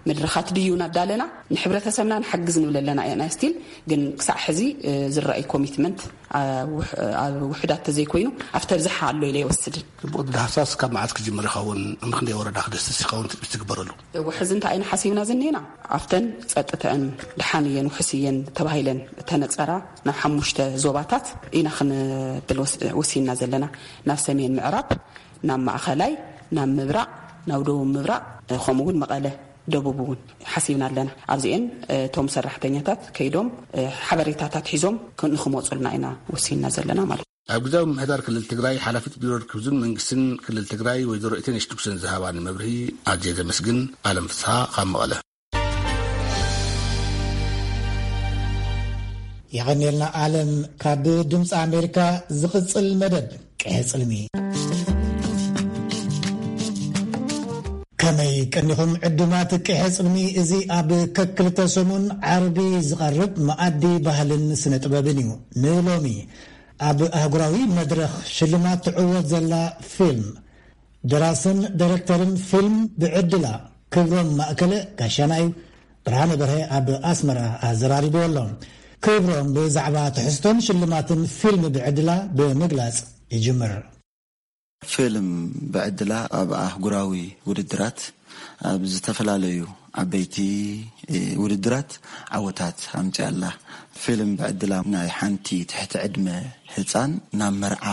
መድረኻት ድዩ ናዳለና ንሕብረተሰብና ንሓግዝ ንብል ኣለና ኢና። ስቲል ግን ክሳዕ ሕዚ፣ እ፣ ዝረኣይ ኮሚትመንት፣ አ፣ ውሕ-፣ ኣብ ውሕዳት ተዘይኮይኑ ኣብቲ ኣብዝሓ ኣሎ ኢለ ይወስድን። ጽቡቕ፣ ዳህሳስ ካብ መዓዝ ክጅምር ይኸውን? ምኽንደይ ወረዳ ክደስስ ይኸውን ትጽቢት ዝግበረሉ? እወ፣ ሕዚ እንታይ ኢና ሓሲብና ዝኒኤና? ኣብተን ጸጥተአን ደሓን እየን፣ ውሕስ እየን ተባሂለን እተነጸራ ናብ ሓሙሽተ ዞባታት ኢና ክንብል ወስ-፣ ወሲንና ዘለና። ናብ ሰሜን ምዕራብ፣ ናብ ማእኸላይ፣ ናብ ምብራቕ፣ ናብ ደቡብ ምብራቕ፣ ከምኡ እውን መቐለ ደቡብ እውን ሓሲብና ኣለና። ኣብዚኤን፣ እ፣ እቶም ሰራሕተኛታት ከይዶም፣ እ፣ ሓበሬታታት ሒዞም ክ-፣ ንክመፁልና ኢና ወሲንና ዘለና ማለት እዩ። ኣብ ግዛዊ ምምሕዳር ክልል ትግራይ ሓላፊት ቢሮ ርክብ ህዝብን መንግስትን ክልል ትግራይ ወይዘሮ ኢተነሽ ንጉሰን ዝሃባኒ መብርሂ ኣዝየ ዘመስግን። ኣለም ፍስሃ ካብ መቐለ። የቐኔልና ኣለም። ካብ ድምፂ ኣሜሪካ ዝቕፅል መደብ ቅሐ ጽልሚ። ከመይ ቀኒኹም ዕዱማት ቅሐ ጽልሚ? እዚ ኣብ ከክልተ ሰሙን ዓርቢ ዝቐርብ መኣዲ ባህልን ስነ ጥበብን እዩ። ንሎሚ ኣብ ኣህጉራዊ መድረኽ ሽልማት ትዕወት ዘላ ፊልም፣ ደራስን ዳይሬክተርን ፊልም ብዕድላ ክብሮም ማእከለ ጋሻና እዩ። ብርሃነ በርሀ ኣብ ኣስመራ ኣዘራሪብዎ ኣሎ። ክብሮም ብዛዕባ ትሕዝቶን ሽልማትን ፊልም ብዕድላ ብምግላጽ ይጅምር። ፊልም ብዕድላ ኣብ ኣህጉራዊ ውድድራት፣ ኣብ ዝተፈላለዩ ዓበይቲ፣ እ፣ ውድድራት ዓወታት ኣምጺኣላ። ፊልም ብዕድላ ናይ ሓንቲ ትሕቲ ዕድመ ህጻን ናብ መርዓ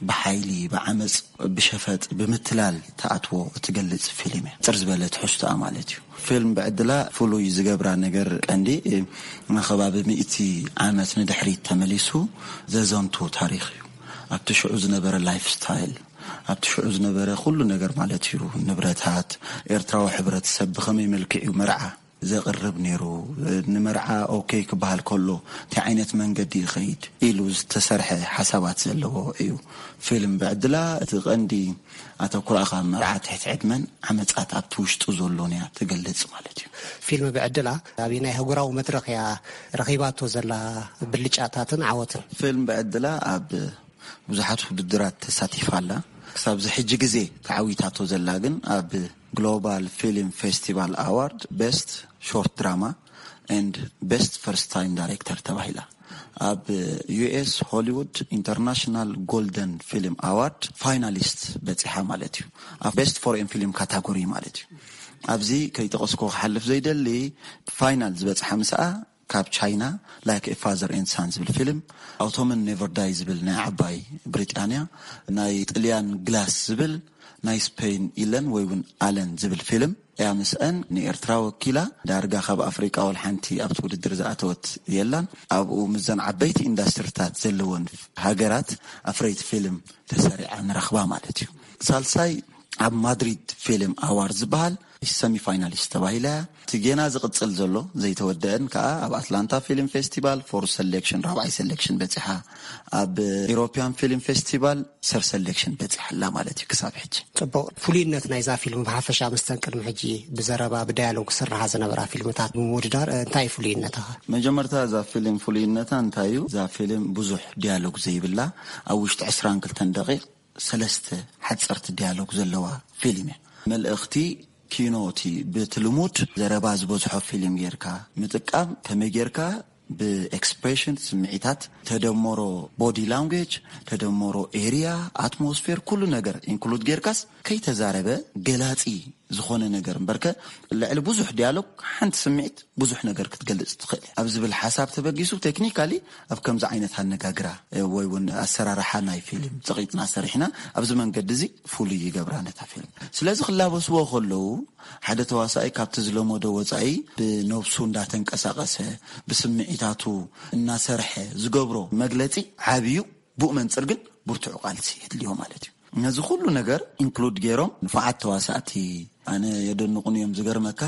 ብሓይሊ፣ ብዓመጽ፣ ብሸፈጥ፣ ብምትላል ትኣትዎ እትገልጽ ፊልም እያ። ጽር ዝበለ ትሕዝቶኣ ማለት እዩ። ፊልም ብዕድላ ፍሉይ ዝገብራ ነገር ቀንዲ፣ እ፣ ንከባቢ ሚእቲ ዓመት ንድሕሪት ተመሊሱ ዘዘንቱ ታሪኽ እዩ። ኣብቲ ሽዑ ዝነበረ ላይፍ ስታይል፣ ኣብቲ ሽዑ ዝነበረ ኩሉ ነገር ማለት እዩ፣ ንብረታት፣ ኤርትራዊ ሕብረተሰብ ብኸመይ መልክዕ እዩ መርዓ ዘቕርብ ነይሩ፣ ንመርዓ ኦኬ ክበሃል ከሎ እንታይ ዓይነት መንገዲ ይኸይድ ኢሉ ዝተሰርሐ ሓሳባት ዘለዎ እዩ። ፊልም ብዕድላ እቲ ቀንዲ ኣተኩሮኣ ካብ መርዓ ትሕቲ ዕድመን ዓመጻት ኣብቲ ውሽጡ ዘሎን እያ ትገልጽ ማለት እዩ። ፊልም ብዕድላ ኣብ ናይ ኣህጉራዊ መድረኽ እያ ረኺባቶ ዘላ ብልጫታትን ዓወትን? ፊልም ብዕድላ ኣብ ብዙሓት ውድድራት ተሳቲፋ ኣላ። ክሳብ እዚ ሕጂ ግዜ ተዓዊታቶ ዘላ ግን ኣብ ግሎባል ፊልም ፌስቲቫል ኣዋርድ ቤስት ሾርት ድራማ ኤንድ ቤስት ፈርስት ታይም ዳይሬክተር ተባሂላ። ኣብ ዩ ኤስ ሆሊውድ ኢንተርናሽናል ጎልደን ፊልም ኣዋርድ ፋይናሊስት በጺሓ ማለት እዩ። ኣብ ቤስት ፎሬን ፊልም ካታጎሪ ማለት እዩ። ኣብዚ ከይጠቐስኩ ክሓልፍ ዘይደሊ፣ ፋይናል ዝበጽሓ ምስኣ ካብ ቻይና፣ ላይክ ኤ ፋዘር ኤንድ ሳን ዝብል ፊልም፣ ኣውቶመን ኔቨር ዳይ ዝብል ናይ ዓባይ ብሪጣንያ፣ ናይ ጥልያን ግላስ ዝብል፣ ናይ ስፔን ኢለን ወይ እውን ኣለን ዝብል ፊልም እያ። ምስአን ንኤርትራ ወኪላ ዳርጋ ካብ ኣፍሪቃ ወላ ሓንቲ ኣብቲ ውድድር ዝኣተወት የላን። ኣብኡ ምስዘን ዓበይቲ ኢንዳስትሪታት ዘለወን ሃገራት ኣፍረይቲ ፊልም ተሰሪዓ ንረኽባ ማለት እዩ። ሳልሳይ ኣብ ማድሪድ ፊልም ኣዋርድ ዝበሃል ሰሚፋይናሊስት ተባሂላ እያ። እቲ ጌና ዝቕጽል ዘሎ ዘይተወደአን ከኣ ኣብ ኣትላንታ ፊልም ፌስቲቫል ፎርስ ሰሌክሽን ራብዓይ ሰሌክሽን በጺሓ፣ ኣብ ኢሮፒያን ፊልም ፌስቲቫል ሰብ ሰሌክሽን በጺሓ ኣላ ማለት እዩ ክሳብ ሕጂ። ጽቡቕ። ፍሉይነት ናይዛ ፊልም ብሓፈሻ ምስተን ቅድሚ ሕጂ ብዘረባ ብዳያሎግ ክስርሓ ዝነበራ ፊልምታት ብምውድዳር እንታይ እዩ ፍሉይነታ? መጀመርታ እዛ ፊልም ፍሉይነታ እንታይ እዩ? እዛ ፊልም ብዙሕ ዲያሎግ ዘይብላ፣ ኣብ ውሽጢ ዕስራን ክልተን ደቂቕ ሰለስተ ሓጸርቲ ዲያሎግ ዘለዋ ፊልም እያ። መልእኽቲ ኪኖ እቲ ብቲ ልሙድ ዘረባ ዝበዝሖ ፊልም ጌርካ ምጥቃም ከመይ ጌርካ ብኤክስፕሬሽን ስምዒታት ተደመሮ ቦዲ ላንጉጅ ተደመሮ ኤርያ ኣትሞስፌር ኩሉ ነገር ኢንክሉድ ጌርካስ ከይተዛረበ ገላጺ ዝኾነ ነገር እምበርከ ልዕሊ ብዙሕ ዲያሎግ ሓንቲ ስምዒት ብዙሕ ነገር ክትገልጽ ትኽእል እያ ኣብ ዝብል ሓሳብ ተበጊሱ ቴክኒካሊ ኣብ ከምዚ ዓይነት ኣነጋግራ ወይ እውን ኣሰራርሓ ናይ ፊልም ጸቒጥና ሰሪሕና ኣብዚ መንገዲ እዚ ፍሉይ ይገብራ ነታ ፊልም። ስለዚ ክላበስዎ ከለዉ ሓደ ተዋሳኣይ ካብቲ ዝለመዶ ወጻኢ ብነብሱ እንዳተንቀሳቐሰ ብስምዒታቱ እናሰርሐ ዝገብሮ መግለጺ ዓብዩ ብኡ መንጽር ግን ብርቱዕ ቃልሲ የድልዮ ማለት እዩ። ነዚ ኩሉ ነገር ኢንክሉድ ገይሮም ንፉዓት ተዋሳእቲ ኣነ የደንቑን እዮም። ዝገርመካ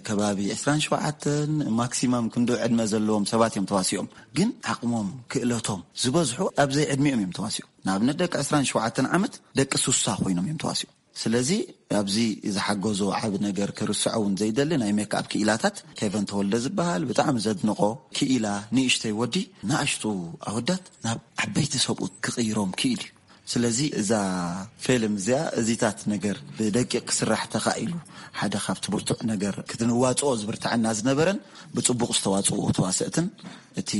ከባቢ ዕስራን ሸውዓተን ማክሲማም ክንዶ ዕድመ ዘለዎም ሰባት እዮም ተዋሲኦም። ግን ዓቕሞም ክእለቶም ዝበዝሑ ኣብዘይ ዕድሚኦም እዮም ተዋሲኦም። ንኣብነት ደቂ ዕስራን ሸውዓተን ዓመት ደቂ ሱሳ ኮይኖም እዮም ተዋሲኦም። ስለዚ ኣብዚ ዝሓገዞ ዓቢ ነገር ክርስዖ እውን ዘይደሊ ናይ ሜክኣፕ ክኢላታት ኬቨን ተወልደ ዝበሃል ብጣዕሚ ዘድንቆ ክኢላ ንእሽተይ ወዲ ንኣሽቱ ኣወዳት ናብ ዓበይቲ ሰብኡት ክቕይሮም ክኢል እዩ። ስለዚ እዛ ፊልም እዚኣ እዚታት ነገር ብደቂቕ ክስራሕ ተኻኢሉ ሓደ ካብቲ ብርቱዕ ነገር ክትንዋፅኦ ዝብርትዐና ዝነበረን ብፅቡቕ ዝተዋፅኡ ተዋሰእትን እቲ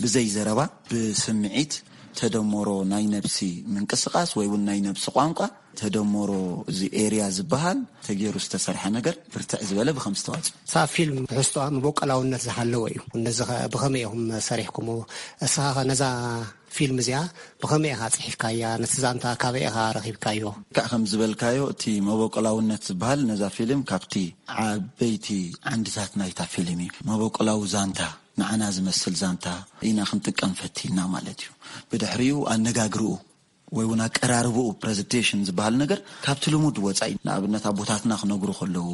ብዘይ ዘረባ ብስምዒት ተደመሮ ናይ ነብሲ ምንቅስቃስ ወይ እውን ናይ ነብሲ ቋንቋ ተደመሮ እዚ ኤርያ ዝበሃል ተገይሩ ዝተሰርሐ ነገር ብርትዕ ዝበለ ብከም ዝተዋፅኦ እዛ ፊልም ትሕዝቶኣ መበቆላውነት ዝሃለወ እዩ። ነዚ ብኸመይ ኢኹም ሰሪሕኩሞ? እስኻ ነዛ ፊልም እዚኣ ብኸመይ ኢኻ ጽሒፍካያ? ነቲ ዛንታ ካበይ ኢኻ ረኺብካዮ? ክዕ ከም ዝበልካዮ እቲ መበቆላውነት ዝበሃል ነዛ ፊልም ካብቲ ዓበይቲ ዓንድታት ናይታ ፊልም እዩ። መበቆላዊ ዛንታ ንዓና ዝመስል ዛንታ ኢና ክንጥቀም ፈቲና ማለት እዩ። ብድሕሪኡ ኣነጋግርኡ ወይ እውን ኣቀራርብኡ ፕረዘንቴሽን ዝበሃል ነገር ካብቲ ልሙድ ወፃኢ ንኣብነት ኣቦታትና ክነግሩ ከለዉ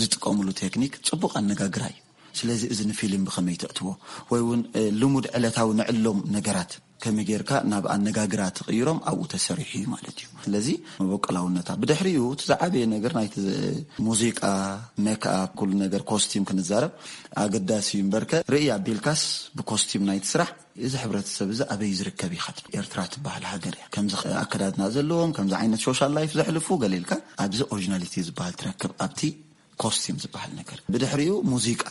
ዝጥቀምሉ ቴክኒክ ፅቡቕ ኣነጋግራ እዩ። ስለዚ እዚ ንፊልም ብኸመይ ተእትዎ ወይ እውን ልሙድ ዕለታዊ ንዕሎም ነገራት ከመይ ጌርካ ናብ ኣነጋግራ ትቕይሮም ኣብኡ ተሰሪሑ እዩ ማለት እዩ። ስለዚ መበቆላውነታ ብድሕሪኡ እቲ ዝዓበየ ነገር ናይቲ ሙዚቃ ሜክኣፕ ኩሉ ነገር ኮስቲም ክንዛረብ ኣገዳሲ እዩ እምበርከ ርእይ ኣቢልካስ ብኮስቲም ናይቲ ስራሕ እዚ ሕብረተሰብ እዚ ኣበይ ዝርከብ ኢኻ ትብል? ኤርትራ ትበሃል ሃገር እያ። ከምዚ ኣከዳድና ዘለዎም ከምዚ ዓይነት ሶሻል ላይፍ ዘሕልፉ ገለ ኢልካ ኣብዚ ኦሪጂናሊቲ ዝበሃል ትረክብ ኣብቲ ኮስቲም ዝበሃል ነገር። ብድሕሪኡ ሙዚቃ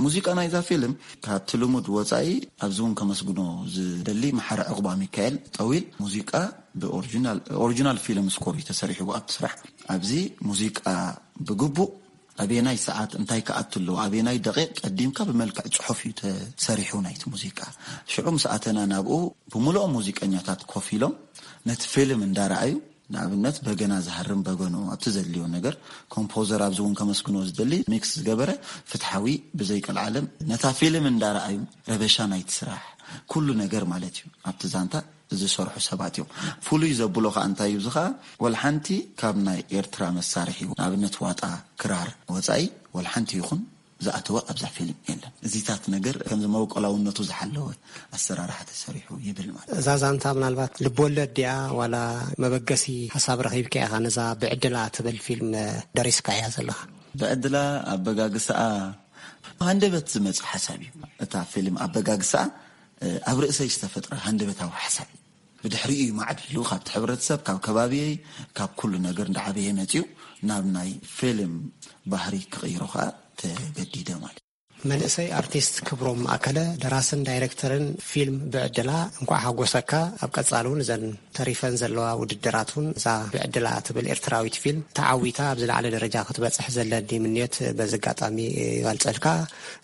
ሙዚቃ ናይዛ ፊልም ካብቲ ልሙድ ወፃኢ ኣብዚ እውን ከመስግኖ ዝደሊ መሓሪ ዕቑባ ሚካኤል ጠዊል ሙዚቃ ብኦሪጂናል ኦሪጂናል ፊልም ስኮር እዩ ተሰሪሕዎ ኣብቲ ስራሕ። ኣብዚ ሙዚቃ ብግቡእ ኣበየናይ ሰዓት እንታይ ክኣቱ ኣለዎ ኣበየናይ ደቂቕ ቀዲምካ ብመልክዕ ፅሑፍ እዩ ተሰሪሑ ናይቲ ሙዚቃ። ሽዑ ምስ ኣተና ናብኡ ብምልኦም ሙዚቀኛታት ኮፍ ኢሎም ነቲ ፊልም እንዳረኣዩ ንኣብነት በገና ዝሃርም በገንኡ ኣብቲ ዘድልዮ ነገር ኮምፖዘር ኣብዚ እውን ከመስግኖ ዝደሊ ሚክስ ዝገበረ ፍትሓዊ ብዘይቀልዓለም ነታ ፊልም እንዳረኣዩ ረበሻ ናይቲ ስራሕ ኩሉ ነገር ማለት እዩ ኣብቲ ዛንታ ዝሰርሑ ሰባት እዮም። ፍሉይ ዘብሎ ከዓ እንታይ እዩ እዚ ከዓ ወላ ሓንቲ ካብ ናይ ኤርትራ መሳርሒ ንኣብነት ዋጣ ክራር ወፃኢ ወላ ሓንቲ ይኹን ዝኣተወ ኣብዛ ፊልም የለን። እዚታት ነገር ከምዚ መበቆላውነቱ ዝሓለወ ኣሰራርሓ ተሰሪሑ ይብል ማለት እዛ ዛንታ ምናልባት ልቦለድ ድያ ዋላ መበገሲ ሓሳብ ረኺብካ ኢኻ ነዛ ብዕድላ ትብል ፊልም ደሪስካ እያ ዘለኻ? ብዕድላ ኣበጋግስኣ ሃንደበት ዝመጽእ ሓሳብ እዩ። እታ ፊልም ኣበጋግስኣ ኣብ ርእሰይ ዝተፈጥረ ሃንደበታዊ ሓሳብ እዩ። ብድሕሪኡ እዩ ማዕቢሉ ካብቲ ሕብረተሰብ ካብ ከባቢየይ ካብ ኩሉ ነገር እንዳዓበየ መጺኡ ናብ ናይ ፊልም ባህሪ ክቕይሮ ከዓ ተገዲደ ማለት እዩ። መንእሰይ ኣርቲስት ክብሮም ማእከለ፣ ደራስን ዳይሬክተርን ፊልም ብዕድላ፣ እንኳዕ ሓጎሰካ። ኣብ ቀጻሊ እውን እዘን ተሪፈን ዘለዋ ውድድራት እውን፣ እዛ ብዕድላ ትብል ኤርትራዊት ፊልም ተዓዊታ ኣብ ዝለዓለ ደረጃ ክትበጽሕ ዘለኒ ምንዮት በዚ ኣጋጣሚ ይገልጸልካ።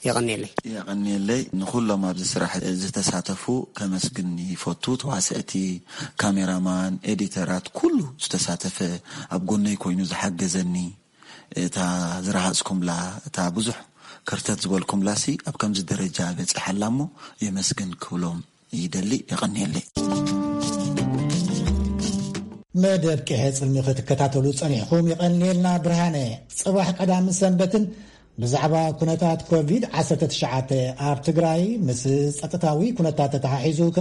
የቐንየለይ። የቐንየለይ። ንኹሎም ኣብዚ ስራሕ ዝተሳተፉ ከመስግን ይፈቱ። ተዋስእቲ፣ ካሜራማን፣ ኤዲተራት፣ ኩሉ ዝተሳተፈ፣ ኣብ ጎነይ ኮይኑ ዝሓገዘኒ፣ እታ ዝረሃጽኩምላ፣ እታ ብዙሕ ከርተት ዝበልኩምላሲ ኣብ ከምዚ ደረጃ በጺሓላ እሞ የመስግን ክብሎም ይደሊ። የቐንየለይ። መደብ ቂሐ ጽልሚ ክትከታተሉ ጸኒሕኩም የቐንየልና። ብርሃነ፣ ጽባሕ ቀዳምን ሰንበትን ብዛዕባ ኩነታት ኮቪድ ዓሰርተ ትሽዓተ ኣብ ትግራይ ምስ ጸጥታዊ ኩነታት ተተሓሒዙ